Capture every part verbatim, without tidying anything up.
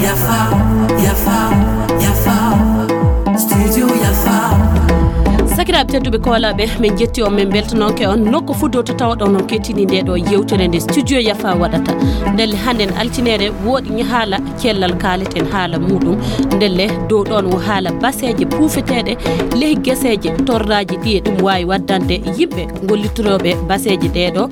Yafa, yafa, yafa. Studio yafa. Sakiraaɓe tedduɓe koolaaɓe, min njetti on, min mbeltanooke on nokku fuu dow to tawɗon on kettini nde ɗo yewtere nde Studio Yafa waɗata. Ndelle hannden altinere woodi haala cellal kaaleten haala muuɗum. Ndelle dow ɗoon wo haala baseeje puufeteeɗe ley geseeje torraaji ɗi e ɗum waawi waddande yimɓe gollitorooɓe baseeje ɗee ɗo.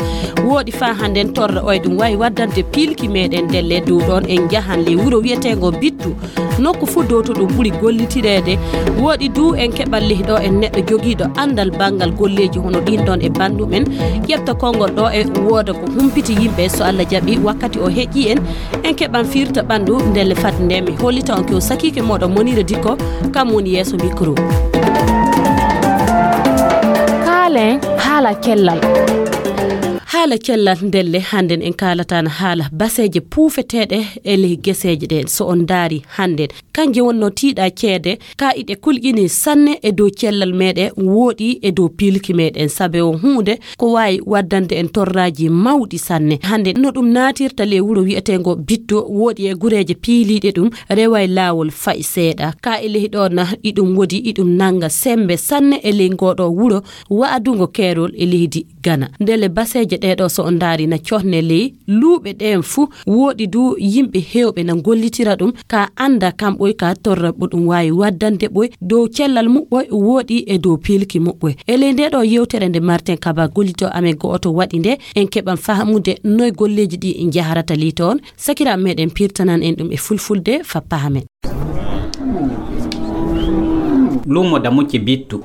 Wooɗi faa hannden torra oye ɗum waawi waddande piilki meeɗen. Ndelle dow ɗoon en njahan ley wuro wiyeteengo Bittu. Nokku fuu dow to ɗum ɓuri gollitireede. Wooɗi duu en keɓan ley ɗo en neɗɗo jogiiɗo anndal banngal golleeji hono ɗiin ɗoon e banndum en. Ƴefta konngol ɗo e wooda ko humpiti yimɓe, so Allah jaɓi wakkati o heƴii en. En keɓan firta ɓanndu ndelle fat nde mi hollita on ko sakiike mooɗon Monira Dikko, kam woni yeeso micro. Kaalen haala cellal. Haala cellal ndelle hannden en kaalataana haala baseeje puufeteeɗe e ley geseeje ɗe. So on ndaari hannden, kanje wonnoo tiiɗa ceede, ka iɗe kulƴini sanne e dow cellal meeɗe, wooɗi e dow piilki meeɗen, sabe o huunde ko waawi waddande en torraaji mawɗi sanne. Hannde no ɗum naatirta ley wuro wiyeteengo Bitto, wooɗi e gureeje piiliiɗe ɗum, reway laawol fay seeɗa. Ka e ley ɗo na iɗum wodi, iɗum nannga semmbe sanne e ley ngooɗo wuro wa'adungo keerol e leydi Gana. Ndelle baseeje ɗee ɗo so on ndaari na cohne ley luuɓe ɗeen fuu, wooɗi duu yimɓe heewɓe na ngollitira ɗum, ka annda kam ɓoy ka torra ɓo ɗum waawi waddande ɓoy dow cellal muɓɓoy wooɗi e dow piilki muɓɓoy. E ley ndee ɗo yewtere nde Martin Kaba gollitoo amen go'oto waɗi nde, en keɓan fahmude noy golleeji ɗi njaharata ley toon. Sakiraaɓe meeɗen pirtanan en ɗum e fulfulde faa pahamen. Luumo Damucce Bittu.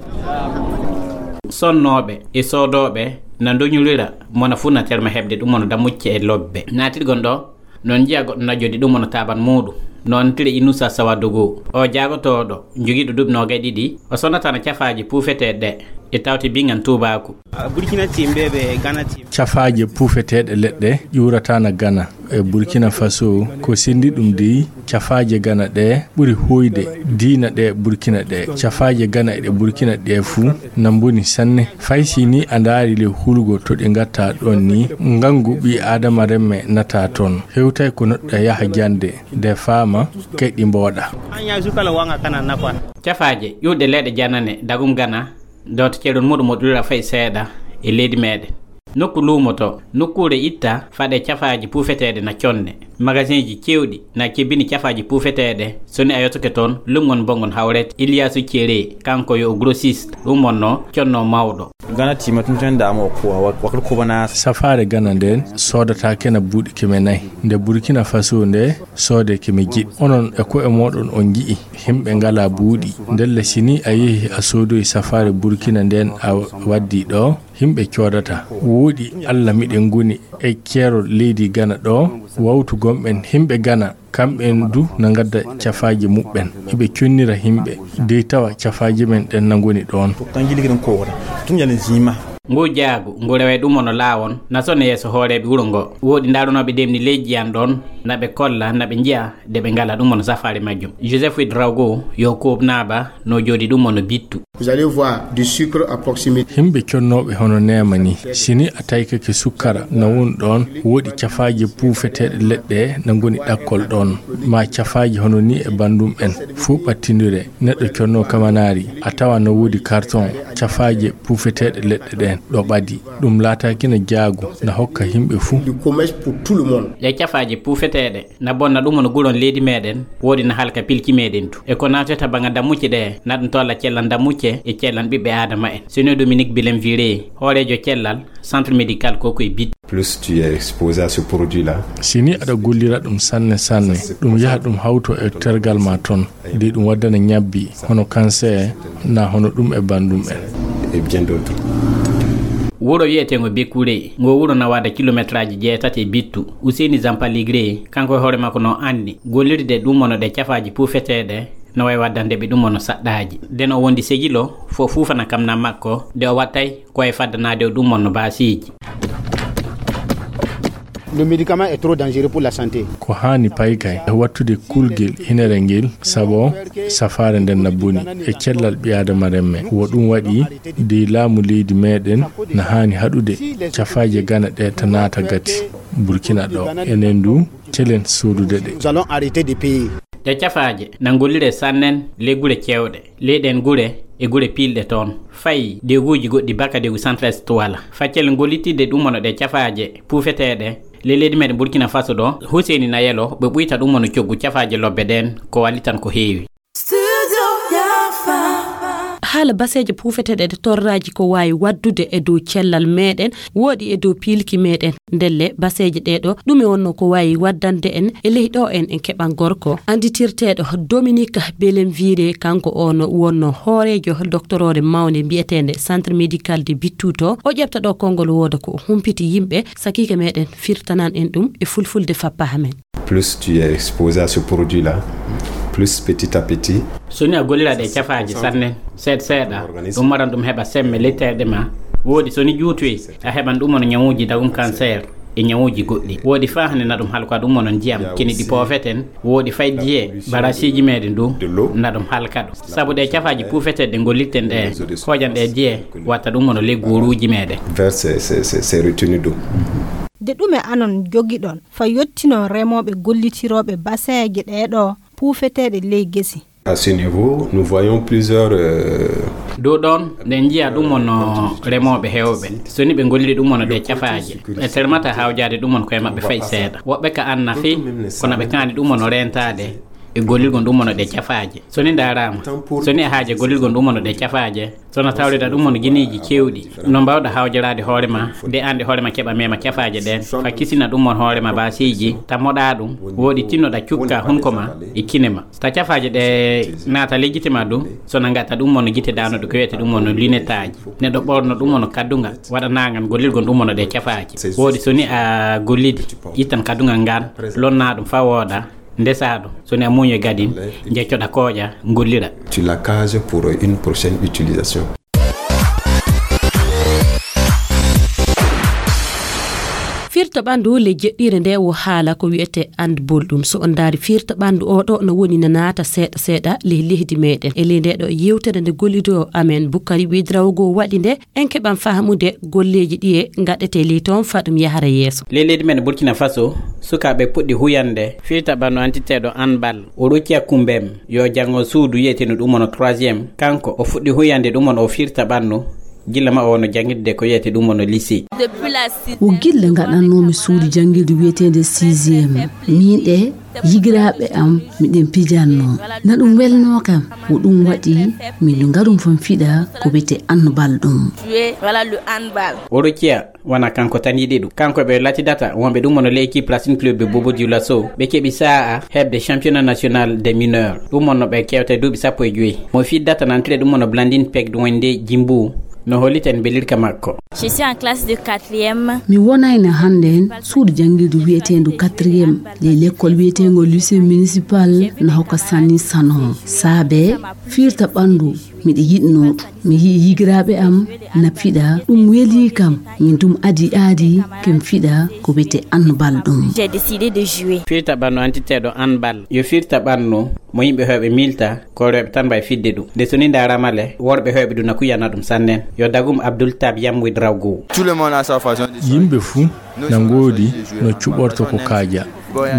Sonnooɓe e soodooɓe na ndoñorira, mona fuu na terma heɓde ɗum wano damucce e lobbe. Naatirgon ɗo, noon njiya goɗɗo na jodi ɗum wano taaban muuɗum. Noon tire Inusa Sawadogo. O jaagotooɗo, jogiiɗo duuɓi noogay ɗiɗi, o sonnataano cafaaji puufeteeɗe ɗe, e tawti bingan tuubaaku. Burkina team ɓe, ɓe Ghana team. Cafaaje puufeteeɗe leɗɗe ƴuurataana Gana. E Burkina Faso, ko senndi ɗum dey, cafaaje Gana ɗe ɓuri hoyde diina ɗe Burkina ɗe. Cafaaje Gana e ɗe Burkina ɗe fuu na mboni sanne. Fay si ni a ndaari ley hulgo to ɗe ngatta ɗon ni, ngangu ɓii Aadama remme nata ton. Hewtay ko neɗɗo yaha jannde, de faama, kay ɗi mbooɗa. An ya zuka la wanga kana na kwa. Cafaaje ƴuurɗe leɗɗe janane dagum Gana, dooto ceerol muɗum o ɗuura fay seeɗa e leydi meeɗen. Nokku luumoto, nokkuure itta, faɗe cafaaji puufeteeɗe na conne. Magasinji cewɗi na kebbini cafaaji puufeteeɗe. So ni a yottoke toon, lumngon mbongon hawrete. Iliyaasu Cere, kanko yo o grossiste, ɗum wonnoo conno mawɗo. Gana tima tun tun da mo kuwa, wa-, wakil kubana. Safaare Gana nden soodata kena buuɗi keme nay. Nde Burkina Faso nde soode keme jeɗɗi. Onon e ko'e mooɗon on nji'i himɓe ngala buuɗi. Ndelle si ni a yehi a soodoyi safaare Burkina nden a waddi ɗo, himɓe coodata. Wooɗi Allah miɗen ngoni e keerol leydi Gana ɗo, wawtu gomɓen himɓe Gana, kamɓen du na ngadda cafaaji muɓɓen. Iɓe connira himɓe, dey tawa cafaaji men ɗen na ngoni ɗon. Tangili gidan kowara. Tun yalin zima. Ngu jaagu, ngu rewe ɗum ono laawon, na sone yeeso hooreeɓe wuro ngo. Wooɗi ndaarunooɓe demni leydi an ɗon, na ɓe kolla, na ɓe njiya, de ɓe ngala ɗum ono safaari majjum. Joseph Ouedraogo, yo kooɓnaaba, no jooɗi ɗum ono bittu. Vous allez voir du sucre à proximité. Himɓe connooɓe hono neema ni, si ni a taykake sukkara na woni ɗon, wooɗi cafaaje puufeteeɗe leɗɗe na ngoni ɗakkol ɗon, ma cafaaje hono ni e banndum en, fuu ɓattindire. Neɗɗo connoo kamanaari, a tawa na woodi karton, cafaaje puufeteeɗe leɗɗe ɗen, ɗo ɓadi. Ɗum laataaki na jaagu, na hokka himɓe fuu. Du commerce pour tout le monde. Ɗe cafaaje puufeteeɗe na bonna ɗum no guron leydi meɗen, woodi na halka pilki meɗen du. E ko naatata baŋa dammucce ɗe, na ɗum tolla cellan dammucce e cellan ɓiɓɓe Aadama en. Sino Dominique Bilen Viré, hooreejo cellal Centre Médical Kokoy Bit. Plus tu es exposé à ce produit-là. Si ni aɗa gollira ɗum sanne sanne, ɗum yaha ɗum hawto e tergal ma ton, de ɗum waddana ñabbi, hono cancer, na hono ɗum e banndum en. Et bien d'autres. Wuro wiyeteengo Bekure, ngo wuro na waada kilometraaji jeetati e Bittu. Ousseyni Zampaligré, kanko e hoore makko no anni, gollirde ɗum wano ɗe cafaaji puufeteeɗe, no wayi waddande ɓe ɗum wano saɗɗaaji. Nden o wondi Segilo, fo fuufana kam na makko, de o wattay ko e faddanaade o ɗum wano baasiiji. Le médicament est trop dangereux pour la santé. Ko haani paykay e wattude kulgel hinere ngel, sabo safaare nden na boni e cellal ɓi aadama remme. Wo ɗum waɗi dey laamu leydi meɗen na haani haɗude cafaaje gana ɗe ta naata gati Burkina ɗo. Enen du, celen sodude ɗe. Nous allons arrêter de payer. Ɗe cafaaje na ngollire sannen le gure cewɗe. Leyɗen gure e gure piilɗe toon. Fayi deguuji goɗɗi baka degu Centre Est wala. Faccel ngollitirde ɗum wano ɗe cafaaje puufeteeɗe le leydi meɗen Burkina Faso ɗo, Huseyni na yelo ɓe ɓuyta ɗum wano coggu cafaaje lobbe ɗen, ko wallitan ko heewi. Haala baseeje puufeteeɗe e torraaji ko waawi waddude e dow cellal meɗen, wooɗi e dow piilki meɗen. Ndelle baseeje ɗee ɗo, ɗume wonno ko waawi waddande en e ley ɗo en en keɓan gorko? Annditirteeɗo Dominique Belenvire, kanko on wonno hooreejo doktoroore mawnde mbiyeteende Centre Médical de Bittuto, o ƴefta ɗo konngol wooda ko o humpiti yimɓe, sakiike meɗen firtanan en ɗum e fulfulde fappa amen. Plus tu es exposé à ce produit-là, plus petit à petit. So ni a gollira ɗe cafaaji sannen, seeɗa seeɗa, ɗum waran ɗum heɓa semme letteeɗe ma. Woodi so ni juutoyi, a heɓan ɗum wano ñawuuji dagum cancer e ñawuuji goɗɗi. Woodi faa hannde na ɗum halko ɗum wano ndiyam, kini ɗi poofeten, woodi fay diye, barasiiji meɗen du, na ɗum halka ɗum. Sabu ɗe cafaaji puufeteeɗe ɗe gollirten ɗe, hooƴan ɗe diye, watta ɗum wano ley gooruuji meɗen. Vers ces, ces, ces, ces retenues d'eau. De ɗume anon jogiɗon fa yottinon remooɓe gollitirooɓe baseeje ɗee ɗo puufeteeɗe ley gesi? À ce niveau, nous voyons plusieurs, euh, Dow ɗon, nde njiya ɗum wano remooɓe heewɓe. So ni ɓe golliri ɗum wano ɗe cafaaje, ɓe termata hawjaade ɗum wano koye maɓɓe fay seeɗa. Woɓɓe ka an nafi, kono ɓe kaani ɗum wano reentaade e gollirgol ɗum wano ɗe cafaaje. So ni ndaaraama, so ni e haaje gollirgol ɗum wano ɗe cafaaje, so na tawrida ɗum wano gineeji keewɗi, no mbaawɗa hawjaraade hoore ma, nde an nde hoore ma keɓa mema cafaaje ɗen, fa kisina ɗum wano hoore ma baaseeji, ta moɗa ɗum, woodi tinnoɗa cukka hunko ma e kine ma. Ta cafaaje ɗe naata ley gite ma ɗum, so na ngatta ɗum wano gite daanoɗe ko wiyete ɗum wano lunetaaji. Neɗɗo ɓorno ɗum wano kaddungal, waɗa nangan gollirgol ɗum wano ɗe cafaaje. Woodi so ni a gollidi, ittan kaddungal ngal, lonna ɗum fa wooɗa, ndesa ɗum. So ni a muuñi gadin, jeccoɗa kooƴa, gollira. Tu la case pour une prochaine utilisation. Firta ɓanndu le jeɗɗire nde wo haala ko wiyete handball ɗum. So on ndaari firta ɓanndu o ɗo no woni na naata seeɗa seeɗa ley leydi meɗen. E ley nde ɗo yewtere nde gollido amen Bukari Widrawgo waɗi nde, en keɓan faamude golleeji ɗi e ngaɗete ley toon fa ɗum yahara yeeso. Ley leydi men Burkina Faso, sukaaɓe puɗɗi huyande firta ɓanndu antiteeɗo handball. O rokki hakkumbem yo janngo suudu yiyeteendu ɗum wano troisième. Kanko o fuɗɗi huyande ɗum wano o firta ɓanndu. Gilla ma o wano janngirde ko wiyete ɗum wano lycée. Wo gilla ngaɗannoomi suudu janngirde wiyeteende sixième. Miin ɗe yigiraaɓe am miɗen pijannoo. Na ɗum welnoo kam. Wo ɗum waɗi min ngarum fan fiɗa ko wiyete handball ɗum. O rokkiya wona kanko tan yiɗi ɗum. Kanko ɓe latidata wonɓe ɗum wano l'équipe Racing Club de Bobo Dioulasso. Ɓe keɓi sa'a heɓde championnat national des mineurs. Ɗum wonno ɓe kewta e duuɓi sappo e joyi. Mo fiddata nan tire ɗum wano Blandine Peg ɗum wonde Jimbu. No holliten belirka makko. Je suis en classe de quatrième. Mi wonayno hannden suudu janngirdu wiyeteendu quatrième ley lekkol wiyeteengo lycée municipal na hokka sanni sano. Saabe firta ɓanndu miɗo yiɗnoo ɗum. Mi yi'i yigiraaɓe am na fiɗa, ɗum welii kam. Min dum adi aadi ken fiɗa ko wiyete handball ɗum. J'ai décidé de jouer. Firta ɓanndu antiteeɗo handball. Yo firta ɓanndu mo yimɓe heewɓe miilta, ko rewɓe tan mbawi fidde ɗum. Nde so ni ndaaraama le, worɓe heewɓe ɗum na kuyana ɗum sannen. Yo dagum Abdoul Tab Yam Widrawgo. Tout le monde a sa façon de jouer. Yimɓe fuu na ngoodi no cuɓorto ko kaaja.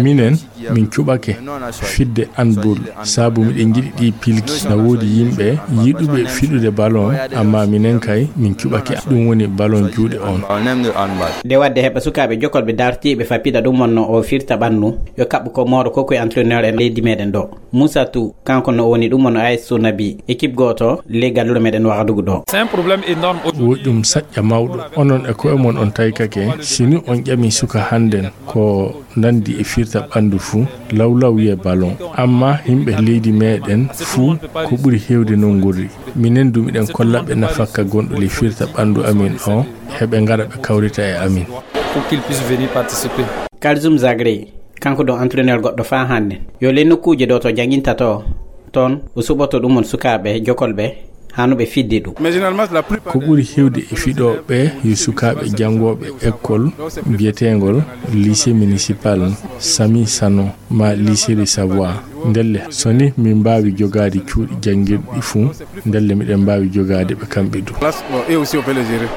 Minen, min cuɓake fidde handball, sabu miɗen njiɗi ɗi pilki. Na woodi yimɓe yiɗuɓe fiɗude ballon, amma minen kay, min cuɓake. Ɗum woni ballon juuɗe on. On aime le handball. Nde wadde heɓa sukaaɓe jokolɓe dartiiɓe fa piɗa ɗum wonno o firta ɓannu, yo kaɓɓu ko mooro ko koye entraîneur en leydi meɗen ɗo. Moussa Tou, kanko no woni ɗum wonno A S Sonabi, équipe gooto ley gallure meɗen Wagadugu ɗo. C'est un problème énorme. Woɗɗum saƴƴa mawɗo. Onon e koye mon on taykake, si ni on ƴami suka hannden ko nandi e firta ɓandu fuu, lawlaw wiye ballon. Amma yimɓe leydi meɗen fuu ko ɓuri heewde non ngorri. Minen du miɗen kollaɓe nafakka gonɗo ley firta ɓandu amin o, heɓe ngara ɓe kawrita e amin. Pour qu'il puisse venir participer. Kalzoum Zagré, kanko ɗo entraîneur goɗɗo faa hannde. Yo ley nokkuuje ɗo to jannginta to, toon o suɓoto ɗum on sukaaɓe jokolɓe Hano ɓe fidde ɗum. Ko ɓuri heewde e fiɗooɓe yo sukaaɓe janngooɓe école biyeteengol lycée municipal Sami Sano ma lycée de Savoie. Ndelle, so ni min mbaawi jogaade cuuɗi janngirɗi fuu, ndelle miɗen mbaawi jogaade ɓe kamɓe du.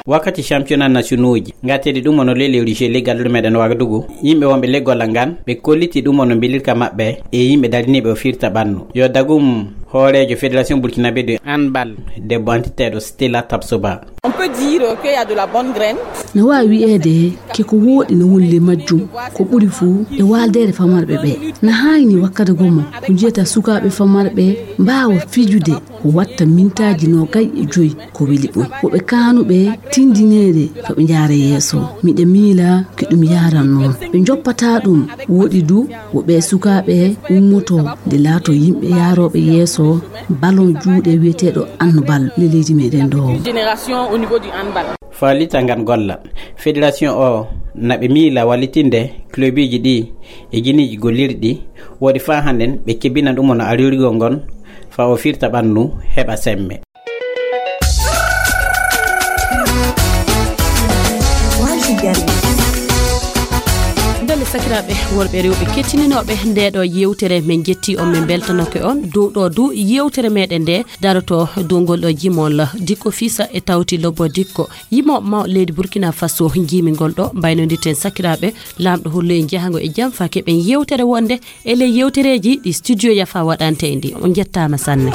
Wakkati championnat nationauji, ngateɗi ɗum ono lelewri je leggal ɗo meɗen Wagadugu, yimɓe wonɓe leggol ngan, ɓe kolliti ɗum ono mbilirka maɓɓe e yimɓe dariniiɓe o firta ɓannu. Yo dagum hooreejo fédération burkinabé de handball, debbo antiteeɗo Stella Tapsoba. On peut dire qu'il y a de la bonne graine. No waawi wiyeede ke ko wooɗi no woni ley majjum, ko ɓuri fuu e waaldeere famarɓe ɓe. Na haayni wakkati gomo ko njiyata sukaaɓe famarɓe mbaawa fijude ko watta mintaaji noogay e joy ko weli ɓuri. Woɓɓe kaanuɓe tindineede ko ɓe njaara yeeso. Miɗa miila ko ɗum yaaran noon. Ɓe njoppataa ɗum, woɗi du wo ɓee sukaaɓe ummotoo nde laatoo yimɓe yaarooɓe yeeso ballon juuɗe wiyeteeɗo handball le leydi meɗen ɗo. Génération au niveau du handball. Faalita ngan golla. Fédération o na ɓe miila wallitinde clubiji ɗi e jiniiji gollirɗi woɗi faa hannden ɓe kebbina ɗum ono arirgol ngon faa o firta ɓannu heɓa semme. Ndelle sakiraaɓe worɓe e rewɓe kettininooɓe nde ɗo yewtere, min njetti on, min mbeltanoke on dow ɗo du yewtere meɗen nde daroto dow ngol ɗo jimol Dikko Fisa e tawti Lobo Dikko. Yimooɓe mawɓe leydi Burkina Faso njiimi ngol ɗo mbaynondirten sakiraaɓe. Laamɗo hollu en jahango e jam faa keɓen yewtere wonde e ley yewtereeji ɗi studio Yafa waɗante en ɗi. On njettaama sanne.